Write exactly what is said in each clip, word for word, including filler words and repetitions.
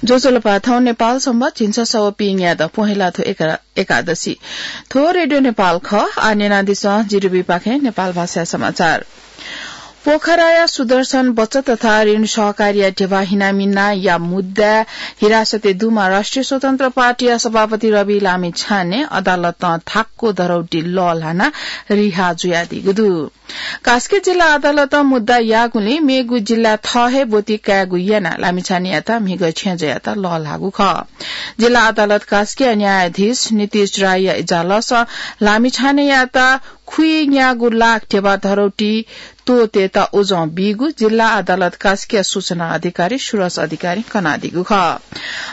ज्वजलपा, थौं नेपाल संवत् झिंछसः व पीन्यादँ पहेँला थ्व एका-, एकादशी। थ्व रेडियो नेपाल खः। आः न्यनादिसँ जीडीबी पाखें नेपाल भाषा समाचार। पोखराया सुदर्शन बचत तथा ऋण सहकारीया ध्यबा हिनामिनाया मुद्दाय् हिरासतय् दुम्ह राष्ट्रिय स्वतन्त्र पार्टीया सभापति रवि लामिछाने अदालतं धाक्व धरौटी लःल्हानाः रिहा जुयादीगु दु। कास्की जिल्ला अदालतं मुद्दा याःगुलिं मेगु जिल्लाय् थः हे ब्वति कायेगु यानाः लामिछानेयात म्हिगः छेँजःयात लःल्हाःगु खः। जिल्ला अदालत कास्कीया न्यायाधीश नीतिश रायया इजालसं लामिछानेयात खुइन्यागू लाख ध्यबा धरौटी त्वःतेत उजं बीगु जिल्ला अदालत कास्कीया सूचना अधिकारी सुरज अधिकारीं कनादीगु खः।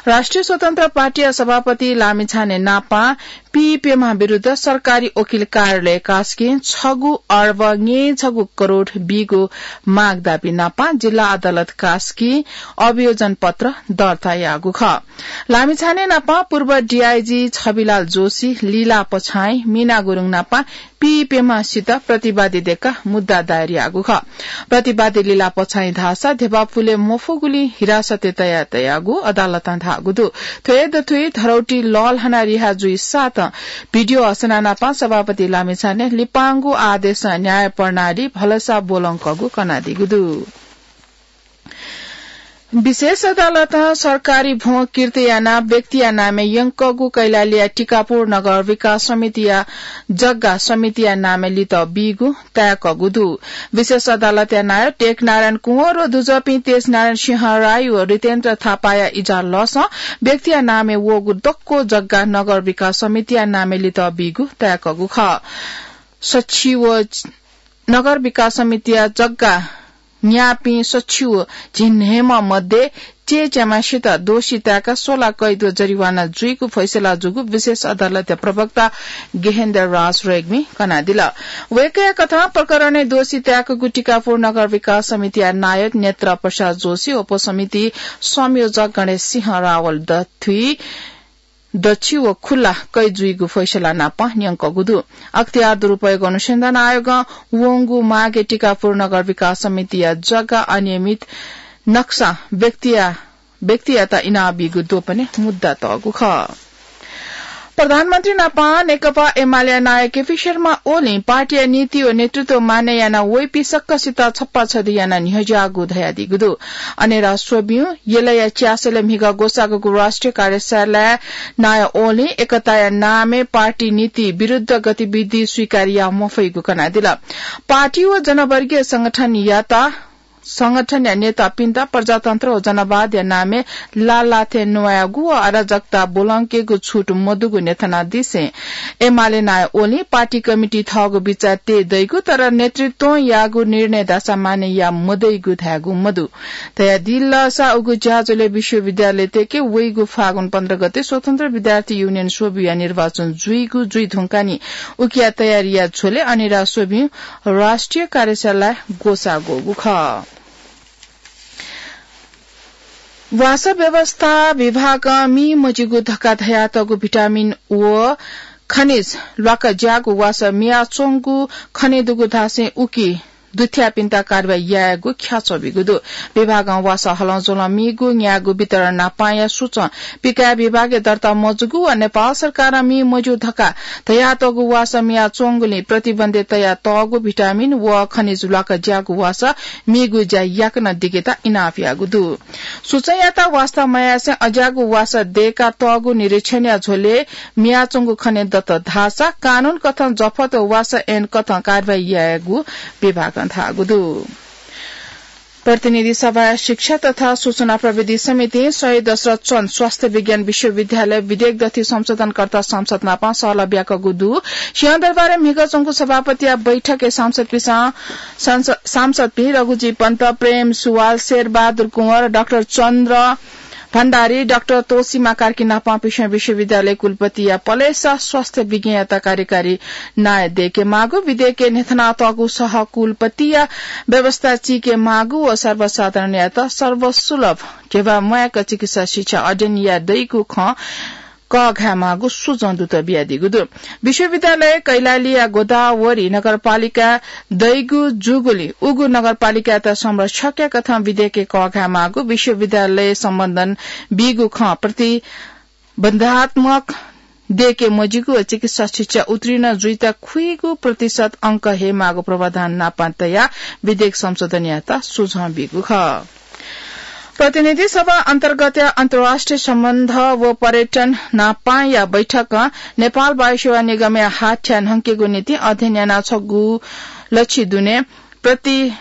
राष्ट्रिय स्वतन्त्र पार्टीया सभापति लामिछाने नापं पीप्यम्ह विरुद्ध सरकारी वकिल कार्यालय कास्कीं छगू अर्ब न्यय्छगू करोड बीगु माग दाबी नापं जिल्ला अदालत कास्कीं अभियोजन पत्र दर्ता याःगु खः। लामिछाने नापं पूर्व डीआईजी छविलाल जोशी, लीला पछाइँ, मीना गुरुङ नापं पीप्यम्हसित प्रतिवादी दय्काः मुद्दा दायर याःगु खः। प्रतिवादी लीला पछाइँ धाःसा ध्यबा पुले मफुगुलिं हिरासतय् तयातयागु अदालतं धाःगु दु। थ्व हे दथुइ धरौटी लःल्हानाः रिहा जुइसातं भिडियो हसना नापं सभापति लामिछाने लिपांगु आदेशं न्याय प्रणाली भलसा ब्वलंकःगु कनादीगु दु। विशेष अदालतं सरकारी भ्वं किर्त यानाः व्यक्तिया नामय् यंकःगु कैलालीया टिकापुर नगर विकास समितिया जग्गा समितिया नामय् लित बीगु ताय्कःगु दु। विशेष अदालतया नायः टेकनारायण कुँवर व दुजःपिं तेजनारायण सिंह राई व रितेन्द्र थापाया इजालसं व्यक्तिया नामय् वःगु दक्व जग्गा नगर विकास समितिया नामय् लित बीगु ताय्कःगु खः। सच्छि व नगर विकास समितिया जग्गा न्याःपिं सच्छि व झिंन्हय्म्ह मध्ये चय्च्याम्हसित दोषी ताय्काः सोला कैद व जरिवाना जुइगु फैसला जूगु विशेष अदालतया प्रवक्ता गेहेन्द्र राज रेग्मीं कनादिल। वय्कःया कथं प्रकरणय् दोषी ताय्कूगु टिकापुर नगर विकास समितिया नायः नेत्र प्रसाद जोशी व उपसमिति संयोजक गणेश सिंह रावल दथुइ दच्छि व खुल्ला कैद जुइगु फैसला नाप न्यंकःगु दु। अख्तियार दुरुपयोग अनुसन्धान आयोगं वंगु मागे टिकापुर नगर विकास समितिया जग्गा अनियमित नक्सा व्यक्तिया, व्यक्तियात इनाप बीगु द्वपनय् मुद्दा तःगु खः। प्रधानमन्त्री नाप नेकपा एमालेया नायः केपी शर्मा ओलीं पार्टीया नीति व नेतृत्व मान्य यानाः वइपिं सकसित छप्पा छधि यानाः न्ह्यज्याःगु धयादीगु दु। अनेरा स्वब्यू यलया च्यासलय् म्हिगः ग्वसाःगु राष्ट्रिय कार्यशालाय् नायः ओलीं एकताया नामय् पार्टी नीति विरुद्ध गतिविधि स्वीकार याये मफइगु कनादिल। पार्टी व जनवर्गीय संगठनयात, संगठनया नेतापिन्त प्रजातन्त्र व जनवादया नामय् लालाथें न्वायेगु व अराजकता ब्वलंकेगु छुट मदुगु न्ह्यथनादिसें एमाले नायः ओलीं पार्टी कमिटी थःगु बिचाः तये दइगु, तर नेतृत्वं याःगु निर्णय धाःसा मान्य याये मदइगु धायेगु मदु। धयादिल धाःसा उगु ज्याझ्वलय् विश्वविद्यालयतय्के वइगु फागुन पन्ध्र गते स्वतन्त्र विद्यार्थी युनियन स्वब्यूया निर्वाचन जुइगु जुइ धुंकाः नि उकिया तयारीया झ्वलय् अनेरा स्वब्यू राष्ट्रिय कार्यशालाय् ग्वसाः ग्वःगु खः। वासः व्यवस्था विभागं मि मज्यूगु धकाः धयातःगु भिटामिन व खनिज ल्वाकज्याःगु वासः मियाच्वंगु खने दुगु धासें उकी दुथ्याःपिन्त कारवाही यायेगु ख्याच्वः बीगु दु। विभागं वासः हलंज्वलं मीगु न्यायेगु वितरण नापांया सूचं पिकाय् विभागय् दर्ता मजूगु व नेपाल सरकारं मि मज्यू धकाः धयातःगु वासः मियाच्वंगुलिं प्रतिबन्धय् तयातःगु भिटामिन व खनिज ल्वाकज्याःगु वासः मीगु ज्या याकनं दिकेत इनाप याःगु दु। सूचंयात वास्ता मयासें अज्याःगु वासः दय्कातःगु निरीक्षणया झ्वलय् मियाच्वंगु खने दत धाःसा कानून कथं जफत व वासः ऐन कथं कारवाही यायेगु विभागं धाःगु दु। प्रतिनिधि सभाया शिक्षा तथा सूचना प्रविधि समितिं शहीद दशरथ चन्द स्वास्थ्य विज्ञान विश्वविद्यालय विधेयक दथुइ संशोधनकर्ता सांसद नाप सहलह ब्याकःगु दु। सिंहदरबारय् म्हिगः च्वंगु सभापतिया बैठकय् सांसदपिसं, सांस-, सांसदपिं रघुजी पन्त, प्रेम सुवाल, शेरबहादुर कुँवर, डाक्टर चन्द्र भण्डारी, डाक्टर तोसीमा कार्की नाप पिसं विश्वविद्यालय कुलपतिया पलेसा स्वास्थ्य विज्ञयात कार्यकारी नायः दय्केमाःगु, विधेयकय् न्ह्यथनातःगु सह कुलपतिया व्यवस्था चीकेमाःगु व सर्वसाधारणयात सर्वसुलभ ध्यबा म्वाय्क चिकित्सा शिक्षा अध्ययन याये दइगु खँ कःघायेमाःगु सुझाव दुत बियादीगु दु। विश्वविद्यालय कैलालीया गोदावरी नगरपालिका दइगु जूगुलिं उगु नगरपालिकायात संरक्षकया कथं विधेयकय् कःघायेमाःगु विश्वविद्यालय सम्बन्धन बीगु खँ प्रतिबन्धात्मक दयेके मजिगु व चिकित्सा शिक्षा उत्तीर्ण जुइत खुइगु प्रतिशत अंक हयेमाःगु प्रावधान नापं तयाः विधेयक संशोधन यायेत सुझाव बीगु खः। प्रतिनिधि सभा अन्तर्गतया अन्तर्राष्ट्रिय सम्बन्ध व पर्यटन नापांया बैठकं नेपाल वायुसेवा निगमया हाथ्या न्हंकेगु निंतिं अध्ययन यानाः छगू लछि दुने प्रति-,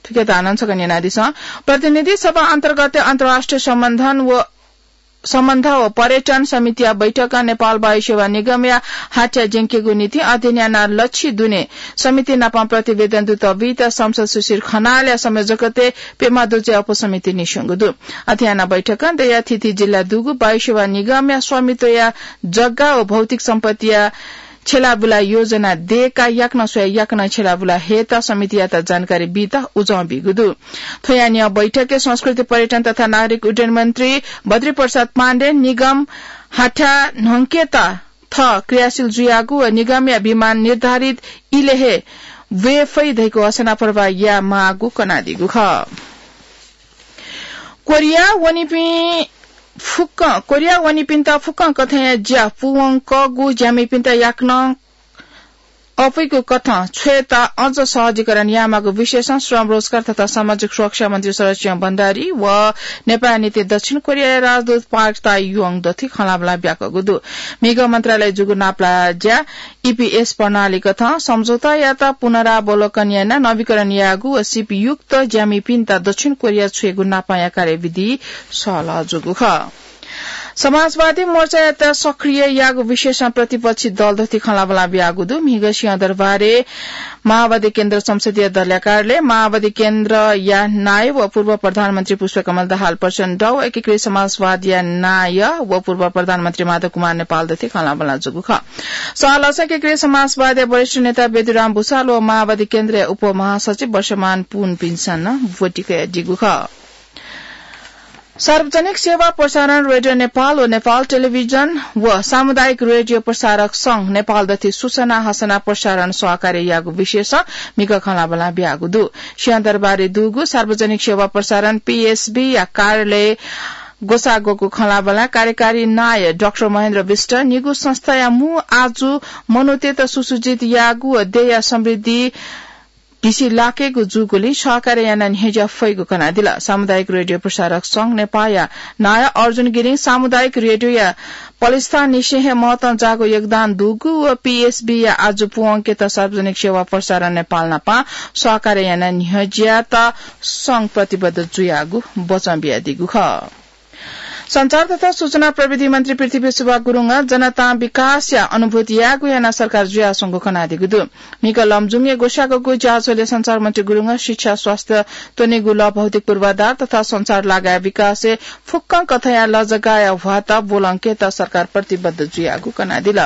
थुकिया धानं छकः न्यनादिसँ। प्रतिनिधि सभा अन्तर्गतया अन्तर्राष्ट्रिय सम्बन्धन व सम्बन्ध व पर्यटन समितिया बैठकं नेपाल वायुसेवा निगमया हाथ्या ज्यंकेगु निंतिं अध्ययन यानाः लछि दुने समिति नाप प्रतिवेदन दुत बीत संसद शिशिर खनालया संयोजकत्वय् प्यम्ह दुजःया उपसमिति निस्यंगु दु। अथे यानाः बैठकं दयाः थीथी जिल्ला दुगु वायुसेवा निगमया स्वामित्वया जग्गा व भौतिक सम्पत्तिया छ्यलाबुला योजना दयेकाः याकनं स्वयाः याकनं छ्यलाबुला हयेत समितियात जानकारी बीत उजं बीगु दु। थ्वया न्ह्यः बैठकय् संस्कृति, पर्यटन तथा नागरिक उड्डयन मन्त्री बद्री प्रसाद पाण्डे निगम हाथ्या न्हंकेत थः क्रियाशील जुयागु व निगमया विमान निर्धारित इलय् हे वये फइ धइगु हसना प्रवाह यायेमाःगु कनादीगु खः। कोरिया वनीपिं फुक्कं, कोरिया वनीपिन्त फुक्कं कथंया ज्या पूवंकःगु ज्यामिपिन्त याकनं अपुइगु कथं छ्वयेत अझ सहजीकरण यायेमाःगु विषयसं श्रम, रोजगार तथा सामाजिक सुरक्षा मन्त्री शरद सिंह भण्डारी व नेपाःया निंतिं दक्षिण कोरियाया राजदूत पार्क ताइ योङ दथुइ खँल्हाबल्हा बियाकूगु दु। म्हिगः मन्त्रालयय् जूगु नापलाज्या ईपीएस प्रणाली कथं सम्झौतायात पुनरावलोकन यानाः नवीकरण यायेगु व सीपयुक्त ज्यामिपिन्त दक्षिण कोरिया छ्वयेगु नापंया कार्यविधि सहलह जूगु खः। समाजवादी मोर्चायात सक्रिय यायेगु विषयसं प्रतिपक्षी दल दथुइ खँल्हाबल्हा बियाकूगु दु। म्हिगः सिंहदरबारय् माओवादी केन्द्र संसदीय दलया कार्यालय, माओवादी केन्द्रया नायः व पूर्व प्रधानमन्त्री पुष्पकमल दाहाल प्रचण्ड व एकीकृत समाजवादया नायः व पूर्व प्रधानमन्त्री माधव कुमार नेपाल दथुइ खँल्हाबल्हा जूगु खः। सहलहसं एकीकृत समाजवादया वरिष्ठ नेता बेदुराम भुसाल व माओवादी केन्द्रया उपमहासचिव वर्षमान पुनपिन्सं नं ब्वति कयादीगु खः। सार्वजनिक सेवा प्रसारण रेडियो नेपाल व नेपाल टेलिभिजन व सामुदायिक रेडियो प्रसारक संघ नेपाल दथुइ सूचना हसना प्रसारण सहकार्य यायेगु विषयसं म्हिगः खँल्हाबल्हा बियागु दु। सिंहदरबारय् दुगु सार्वजनिक सेवा प्रसारण पीएसबीया कार्यालयय् ग्वसाः ग्वःगु खँल्हाबल्हाय् कार्यकारी नायः डाक्टर महेन्द्र विष्ट निगू संस्थाया मू आजु मनूतय्त सुसज्जित यायेगु व देय्या समृद्धि भिसी लाकेगु जूगुलिं सहकार्य यानाः न्ह्यज्या फइगु कनादिल। सामुदायिक रेडियो प्रसारक संघ नेपाःया नायः अर्जुन गिरिं सामुदायिक रेडियोया पलेस्थाननिसें हे महत्वं जाःगु योगदान दुगु व पीएसबीया आजु पूवंकेत सार्वजनिक सेवा प्रसारण नेपाल नाप सहकार्य यानाः न्ह्यज्यात संघ प्रतिबद्ध जुयागु बचं बियादीगु खः। सञ्चार तथा सूचना प्रविधि मन्त्री पृथ्वी सुब्बा गुरुङं जनतां विकासया अनुभूति यायेगु यानाः सरकार जुयाच्वंगु कनादीगु दु। म्हिगः लमजुङय् ग्वसाःगु ज्याझ्वलय् सञ्चार मन्त्री गुरुङं शिक्षा, स्वास्थ्य, त्वनेगु लः, भौतिक पूर्वाधार तथा सञ्चार लागाय् विकासय् फुक्कं कथंया लजगाःया ह्वाःत ब्वलंकेत सरकार प्रतिबद्ध जुयागु कनादिल।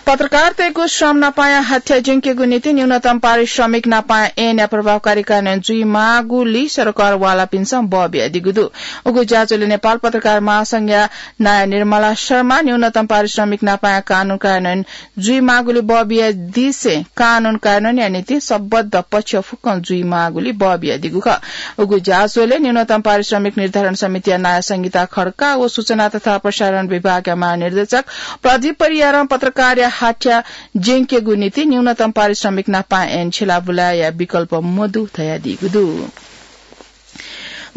पत्रकारतय्गु श्रम नापांया हाथ्या ज्यंकेगु निंतिं न्यूनतम पारिश्रमिक नापांया ऐनया प्रभावकारी कार्यान्वयन जुइमाःगुली सरकार वालापिन्सं बः बियादीगु दु। उगु ज्याझ्वलय् नेपाल पत्रकार महासंघया नायः निर्मला शर्मां न्यूनतम पारिश्रमिक नापांया कानून कार्यान्वयन जुइमाःगुली बः बियादिसें कानून कार्यान्वयनया निंतिं सम्बद्ध पक्ष फुक्कं जुइमाःगुली बः बियादीगु खः। उगु ज्याझ्वलय् न्यूनतम पारिश्रमिक निर्धारण समितिया नायः संगीता खड्का व सूचना तथा प्रसारण विभागया महानिर्देशक प्रदीप परियारं पत्रकारया हाथ्या ज्यंकेगु निंतिं न्यूनतम पारिश्रमिक नापां ऐन छ्यलाबुलाया विकल्प मदु धयादीगु दु।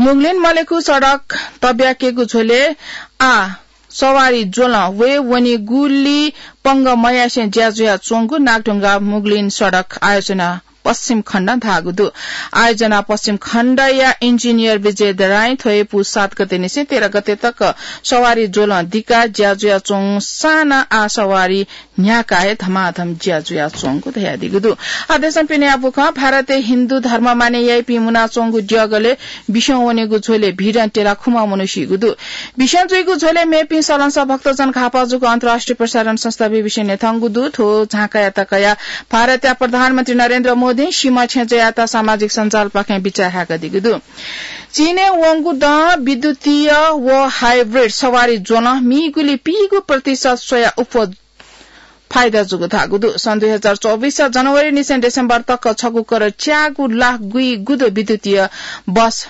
मुगलिन मलेखु सडक तब्याकेगु झ्वलय् आः सवारी ज्वलं वये वनीगुली पंगः मयासें ज्या जुयाच्वंगु नागढुङ्गा मुगलिन सडक आयोजना पश्चिम खण्डं धाःगु दु। आयोजना पश्चिम खण्डया इन्जिनियर विजय दराईं थ्व हे पुस सात गतेनिसें तेह्र गते तक सवारी ज्वलं दिकाः ज्या जुयाच्वंसां नं आः सवारी न्ह्याकाः हे धमाधम ज्या जुयाच्वंगु धयादीगु दु। आदेशं पिने याःगु खँ। भारतय् हिन्दू धर्म मानय् याइपिं मुनाच्वंगु द्यःगलय् बिस्युं वनेगु झ्वलय् भीडं त्यलाः खुम्ह मनू सीगु दु। बिस्युं जुइगु झ्वलय् मेपिं सलंसः भक्तजन घाःपाः जूगु अन्तर्राष्ट्रिय प्रसारण संस्था बीबीसीं न्ह्यथंगु दु। थ्व झांकायात कयाः भारतया प्रधानमन्त्री नरेन्द्र मध्यें सीमा छेँ जयात सामाजिक सञ्जालपाखें बिचाः हाय्कादीगु दु। चीनय् वंगु दँ विद्युतीय व हाइब्रिड सवारी ज्वलं मीगुलि पीगु प्रतिशत स्वया उप्वः फाइदा जूगु धाःगु दु। सन् दुई हजार चौबिस जनवरीनिसें डिसेम्बर तक छगू करोड च्यागू लाख गुइगुदु विद्युतीय बस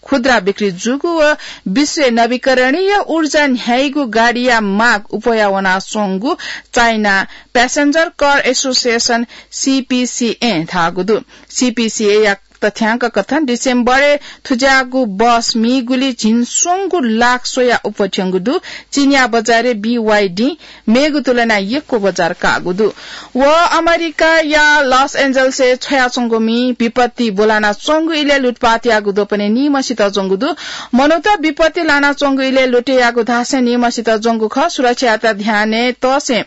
खुद्रा बिक्री जूगु व विश्वय् नवीकरणीय ऊर्जा न्ह्याइगु गाडीया माग उप्वया वनाच्वंगु चाइना प्यासेन्जर कार एसोसिएसन, सीपीसीए, धाःगु दु। सीपीसीए या तथ्यांक कथं डिसेम्बरय् थुज्याःगु बस मीगुलि झिंस्वंगू लाख स्वया उप्वथ्यंगु दु। चीनया बजारय् बीवाईडी मेगु तुलनाय् यक्व बजार काःगु दु। व अमेरिकाया लस एन्जल्सय् छ्वयाच्वंगु मि विपत्ति ब्वलानाच्वंगु इलय् लुटपाट याःगु द्वपनय् निम्हसित ज्वंगु दु। मनूत विपत्ति लानाच्वंगु इलय् लुटे याःगु धासें निम्हसित ज्वंगु खः। सुरक्षायात ध्यानय् तसें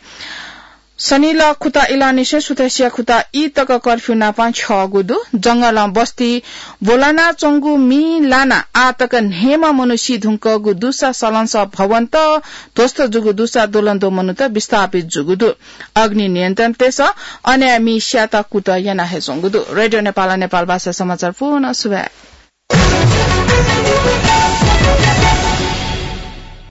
सनिलः खुता इलंनिसें सुथसिया खुता ई तक कर्फ्यू नाप छ्यःगु दु। जंगलं बस्ती ब्वलानाच्वंगु मि लानाः आः तक न्हय्म्ह मनू सी धुंकूगु दुसा, सलंसः भवन्त ध्वस्त जूगु दुसा, द्वलंद्वः मनूत विस्थापित जूगु दु। अग्नि नियन्त्रणतय्सं अनया मि स्यात कुतः याना हे च्वंगु दु। रेडियो नेपालं नेपाल भाषा समाचार पूवना। सुभाय्।